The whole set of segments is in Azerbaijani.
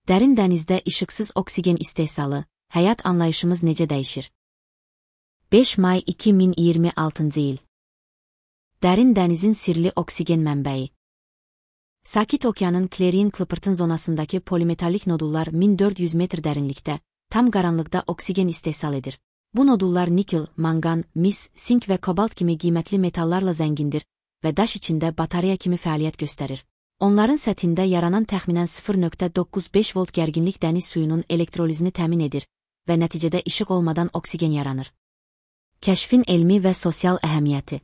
Dərin dənizdə işıqsız oksigen istehsalı, həyat anlayışımız necə dəyişir? 5 may 2026-cı il. Dərin dənizin sirli oksigen mənbəyi. Sakit Okeanın Clarion-Clipperton zonasındakı polimetallik nodullar 1400 metr dərinlikdə, tam qaranlıqda oksigen istehsal edir. Bu nodullar nikel, mangan, mis, sink və kobalt kimi qiymətli metallarla zəngindir və daş içində batareya kimi fəaliyyət göstərir. Onların səthində yaranan təxminən 0.95 volt gərginlik dəniz suyunun elektrolizini təmin edir və nəticədə işıq olmadan oksigen yaranır. Kəşfin elmi və sosial əhəmiyyəti.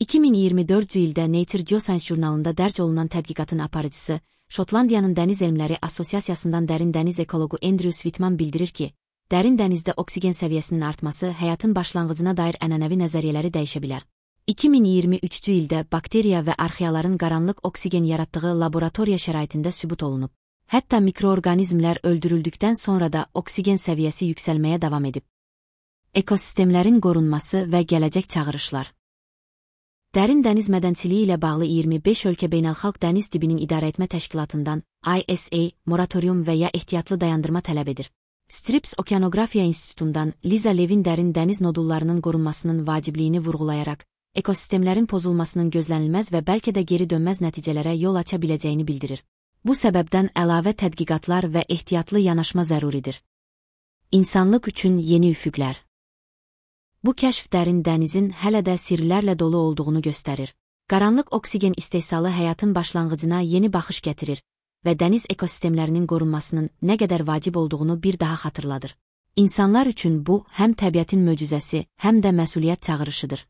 2024-cü ildə Nature Geoscience jurnalında dərc olunan tədqiqatın aparıcısı, Şotlandiyanın Dəniz Elmləri Assosiasiyasından dərin dəniz ekologu Andrew Sweetman bildirir ki, dərin dənizdə oksigen səviyyəsinin artması həyatın başlanğıcına dair ənənəvi nəzəriyyələri dəyişə bilər. 2023-cü ildə bakteriya və arxeaların qaranlıq oksigen yaratdığı laboratoriya şəraitində sübut olunub. Hətta mikroorqanizmlər öldürüldükdən sonra da oksigen səviyyəsi yüksəlməyə davam edib. Ekosistemlərin qorunması və gələcək çağırışlar. Dərin dəniz mədənsiliyi ilə bağlı 25 ölkə beynəlxalq dəniz dibinin idarəetmə təşkilatından ISA moratorium və ya ehtiyatlı dayandırma tələb edir. Scripps Okeanografiya İnstitutundan Liza Levin dərin dəniz nodullarının qorunmasının vacibliyini vurğulayaraq, ekosistemlərin pozulmasının gözlənilməz və bəlkə də geri dönməz nəticələrə yol aça biləcəyini bildirir. Bu səbəbdən əlavə tədqiqatlar və ehtiyatlı yanaşma zəruridir. İnsanlıq üçün yeni üfüqlər. Bu kəşf dərin dənizin hələ də sirlərlə dolu olduğunu göstərir. Qaranlıq oksigen istehsalı həyatın başlanğıcına yeni baxış gətirir və dəniz ekosistemlərinin qorunmasının nə qədər vacib olduğunu bir daha xatırladır. İnsanlar üçün bu, həm təbiətin möcüzəsi, həm də məsuliyyət çağırışıdır.